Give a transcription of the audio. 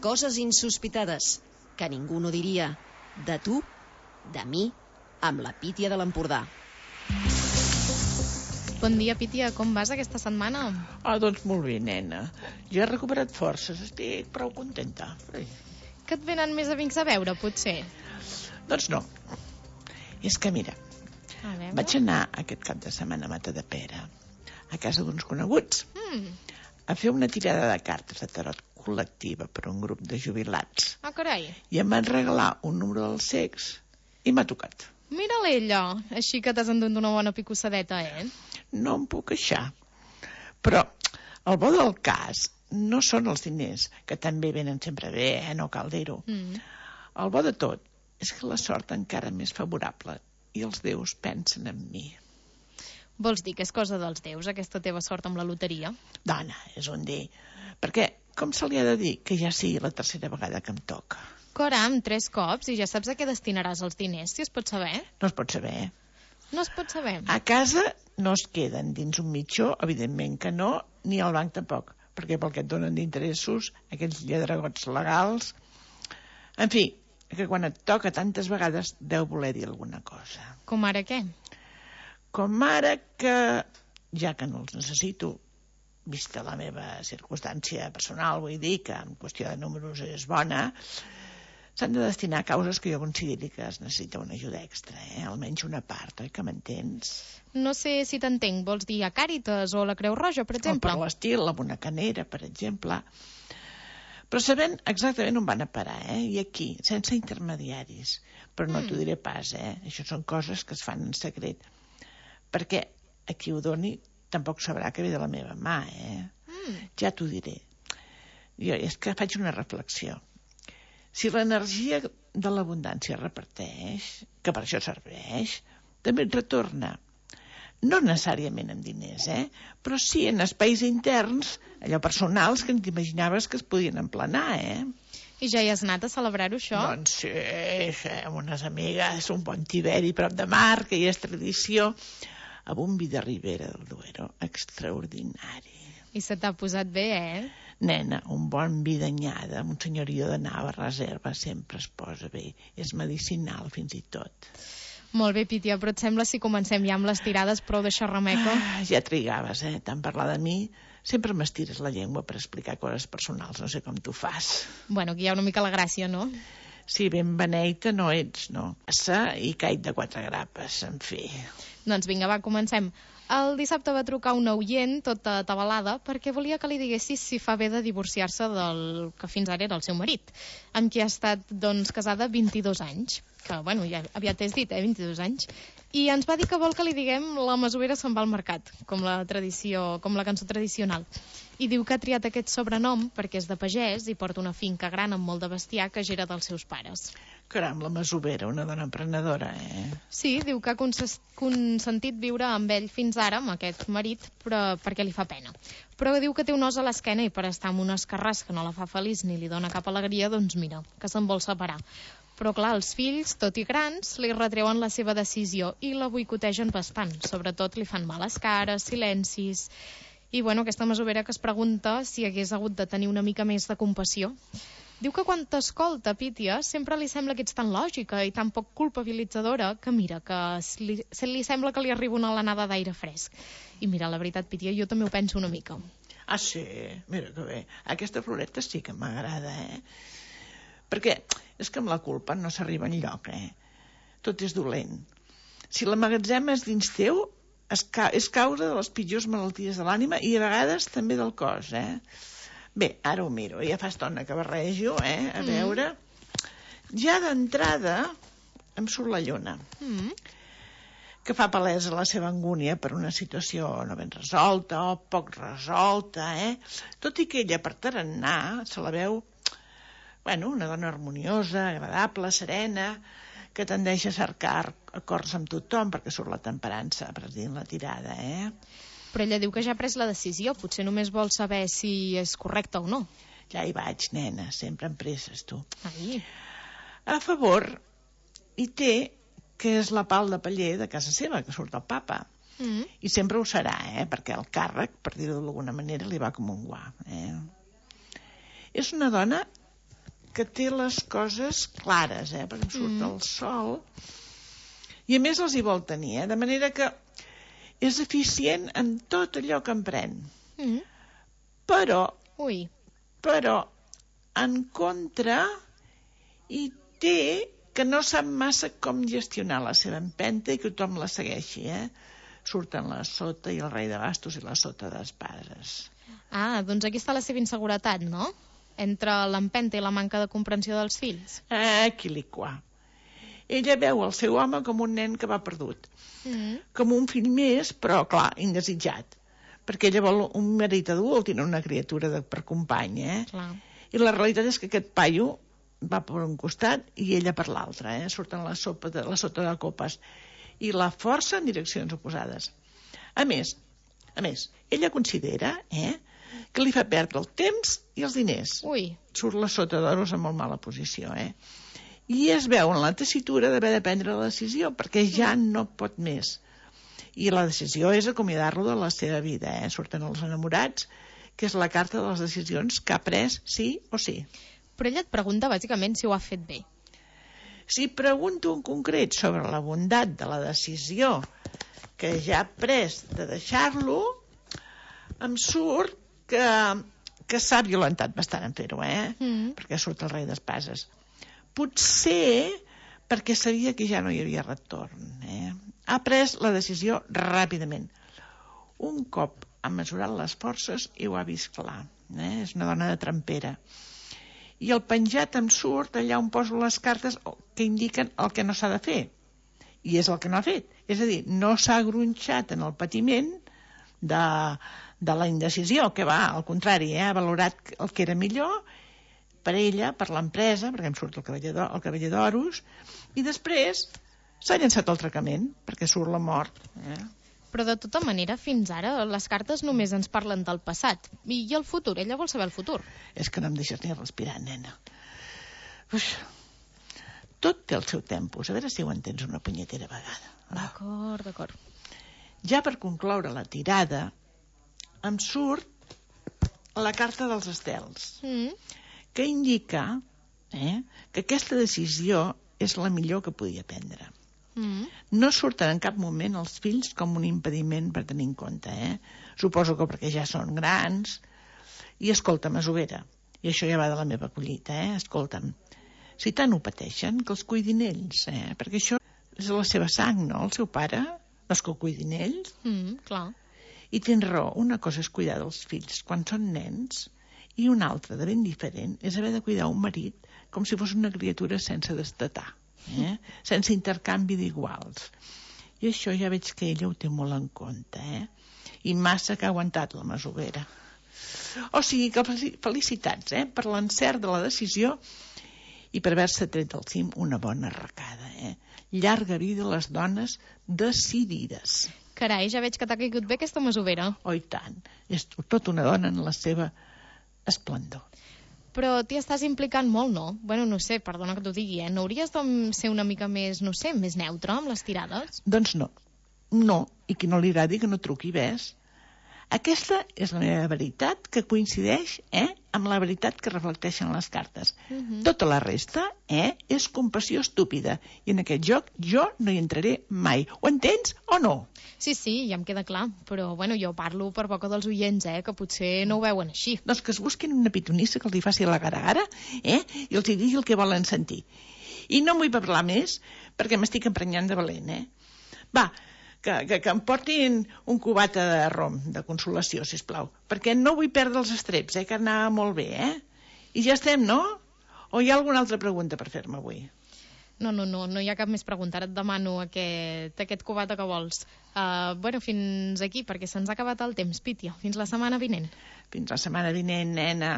Coses insospitades que ningú no diria. De tu, de mi, amb la Pítia de l'Empordà. Bon dia, Pítia. Com vas aquesta setmana? Doncs molt bé, nena. Ja he recuperat forces, estic prou contenta. Que et venen més amics a veure, potser? Doncs no. És que, mira, vaig anar aquest cap de setmana a Matadepera, a casa d'uns coneguts, a fer una tirada de cartes de tarot col·lectiva per un grup de jubilats. Ah, carai. I em van regalar un número dels cecs i m'ha tocat. Mira l'ella, així que t'has endut una bona picossadeta, No em puc queixar. Però el bo del cas no són els diners, que també venen sempre bé, no cal dir-ho. El bo de tot és que la sort encara més favorable i els déus pensen en mi. Vols dir que és cosa dels déus, aquesta teva sort amb la loteria? Dona, és un dir. Perquè, com se li ha de dir que ja sigui la tercera vegada que em toca? Caram, 3 cops i ja saps a què destinaràs els diners, si es pot saber? No es pot saber. No es pot saber? A casa no es queden dins un mitjó, evidentment que no, ni al banc tampoc, perquè pel que et donen d'interessos, aquells lladregots legals... En fi, que quan et toca tantes vegades deu voler dir alguna cosa. Com ara què? Com ara que, ja que no els necessito, vista la meva circumstància personal, vull dir que en qüestió de números és bona, s'han de destinar a causes que jo consideri que es necessita una ajuda extra, almenys una part, oi que m'entens? No sé si t'entenc, vols dir a Càritas o la Creu Roja, per exemple? O per l'estil, a una canera, per exemple. Però sabent exactament on van a parar, i aquí, sense intermediaris. Però no t'ho diré pas, això són coses que es fan en secret. Perquè a qui ho doni tampoc sabrà que ve de la meva mà, Ja t'ho diré. Jo és que faig una reflexió. Si l'energia de l'abundància reparteix, que per això serveix, també et retorna. No necessàriament en diners, però sí en espais interns, allò personals que t'imaginaves que es podien emplenar, I ja hi has anat a celebrar-ho, això? Doncs sí, amb unes amigues, un bon tiberi prop de mar, que ja és tradició, amb un vi de Ribera del Duero extraordinari. I se t'ha posat bé, Nena, un bon vi d'anyada, un senyorio de Nava reserva, sempre es posa bé. És medicinal, fins i tot. Molt bé, Pítia, però et sembla si comencem ja amb les tirades prou de xerrameca? Ja trigaves, tant parlar de mi. Sempre m'estires la llengua per explicar coses personals, no sé com tu fas. Bueno, aquí hi ha una mica la gràcia, no? Sí, ben beneita no ets, no? Passa i caic de 4 grapes, en fi. Doncs vinga, va, comencem. El dissabte va trucar una oient tota atabalada perquè volia que li diguessis si fa bé de divorciar-se del que fins ara era el seu marit, amb qui ha estat, doncs, casada 22 anys. Que, bueno, ja aviat t'has dit, 22 anys. I ens va dir que vol que li diguem la masovera se'n va al mercat, com la cançó tradicional. I diu que ha triat aquest sobrenom perquè és de pagès i porta una finca gran amb molt de bestiar que era dels seus pares. Caram, la masovera, una dona emprenedora, Sí, diu que ha consentit viure amb ell fins ara, amb aquest marit, però perquè li fa pena. Però diu que té un os a l'esquena i per estar amb un escarràs que no la fa feliç ni li dona cap alegria, doncs mira, que se'n vol separar. Però clar, els fills, tot i grans, li retreuen la seva decisió i la boicotegen bastant. Sobretot li fan males cares, silencis... I bueno, aquesta masovera que es pregunta si hagués hagut de tenir una mica més de compassió. Diu que quan t'escolta, Pítia, sempre li sembla que ets tan lògica i tan poc culpabilitzadora que mira, que li sembla que li arriba una alenada d'aire fresc. I mira, la veritat, Pítia, jo també ho penso una mica. Ah, sí? Mira que bé. Aquesta floreta sí que m'agrada, Perquè és que amb la culpa no s'arriba enlloc, Tot és dolent. Si l'emmagatzemes dins teu, és causa de les pitjors malalties de l'ànima i a vegades també del cos, Bé, ara ho miro, ja fa estona que barrejo, a veure... Ja d'entrada em surt la lluna, que fa palesa la seva angúnia per una situació no ben resolta o poc resolta, Tot i que ella, per tarannà, se la veu, una dona harmoniosa, agradable, serena, que tendeix a cercar acords amb tothom perquè surt la temperança presidint la tirada, Però ella diu que ja ha pres la decisió, potser només vol saber si és correcte o no. Ja hi vaig, nena, sempre em presses, tu. Ai. A favor hi té que és la pal de paller de casa seva, que surt el papa. I sempre ho serà, perquè el càrrec, per dir-ho d'alguna manera, li va com un guà. És una dona que té les coses clares, perquè em surt el sol, i a més els hi vol tenir, de manera que és eficient en tot allò que emprèn. Però, en contra, hi té que no sap massa com gestionar la seva empenta i que tothom la segueixi, Surten la sota i el rei de bastos i la sota d'espades. Doncs aquí està la seva inseguretat, no? Entre l'empenta i la manca de comprensió dels fills. Quiliquà. Ella veu el seu home com un nen que va perdut. Com un fill més, però, clar, indesitjat. Perquè ella vol un marit adult i no una criatura per company, Clar. I la realitat és que aquest paio va per un costat i ella per l'altre, Surten la sota de copes i la força en direccions oposades. A més, ella considera que li fa perdre el temps i els diners. Surt la sota d'oros en molt mala posició, I es veu en la tessitura d'haver de prendre la decisió, perquè ja no pot més. I la decisió és acomiadar-lo de la seva vida, Surten els enamorats, que és la carta de les decisions que ha pres sí o sí. Però ella et pregunta bàsicament si ho ha fet bé. Si pregunto en concret sobre la bondat de la decisió que ja ha pres de deixar-lo, em surt que s'ha violentat bastant en fer-ho, perquè surt el rei d'espases. Potser perquè sabia que ja no hi havia retorn. Ha pres la decisió ràpidament. Un cop ha mesurat les forces i ho ha vist clar. És una dona de trempera. I el penjat em surt allà on poso les cartes que indiquen el que no s'ha de fer. I és el que no ha fet. És a dir, no s'ha gronxat en el patiment de la indecisió, que va, al contrari, ha valorat el que era millor per ella, per l'empresa, perquè em surt el cavaller d'oros, i després s'ha llançat al tracament, perquè surt la mort. Però de tota manera, fins ara, les cartes només ens parlen del passat. I el futur? Ella vol saber el futur. És que no em deixes ni respirar, nena. Tot té el seu tempus. A veure si ho entens una punyetera vegada. D'acord. Ja per concloure la tirada, em surt la carta dels estels, que indica que aquesta decisió és la millor que podia prendre. No surten en cap moment els fills com un impediment per tenir en compte, Suposo que perquè ja són grans. I escolta, masovera, i això ja va de la meva collita, escolta'm, si tant ho pateixen, que els cuidin ells, perquè això és la seva sang, no? El seu pare, no és que el cuidin ells. Clar. I tens raó, una cosa és cuidar dels fills quan són nens i una altra, de ben diferent, és haver de cuidar un marit com si fos una criatura sense destatar. Sense intercanvi d'iguals. I això ja veig que ella ho té molt en compte, i massa que ha aguantat la masovera. O sigui que felicitats, per l'encert de la decisió i per haver-se tret del cim una bona arracada, Llarga vida a les dones decidides. Carai, ja veig que t'ha caigut bé aquesta masovera. Oh, i tant. És tota una dona en la seva esplendor. Però t'hi estàs implicant molt, no? Bueno, no sé, perdona que t'ho digui, No hauries de ser una mica més, no sé, més neutre amb les tirades? Doncs no. No, i qui no li agradi que no truqui, ves. Aquesta és la meva veritat que coincideix amb la veritat que reflecteixen les cartes. Tota la resta és compassió estúpida. I en aquest joc jo no hi entraré mai. Ho entens o no? Sí, ja em queda clar. Però, bueno, jo parlo per boca dels oients, que potser no ho veuen així. Doncs que es busquin una pitonissa que els hi faci la gara-gara, i els hi digui el que volen sentir. I no em vull parlar més, perquè m'estic emprenyant de valent, Va, que em portin un cubata de rom, de consolació, sisplau, perquè no vull perdre els estreps, que anava molt bé, I ja estem, no? O hi ha alguna altra pregunta per fer-me avui? No hi ha cap més pregunta. Ara et demano aquest cubata que vols. Bueno, fins aquí, perquè se'ns ha acabat el temps, Pítia. Fins la setmana vinent. Fins la setmana vinent, nena.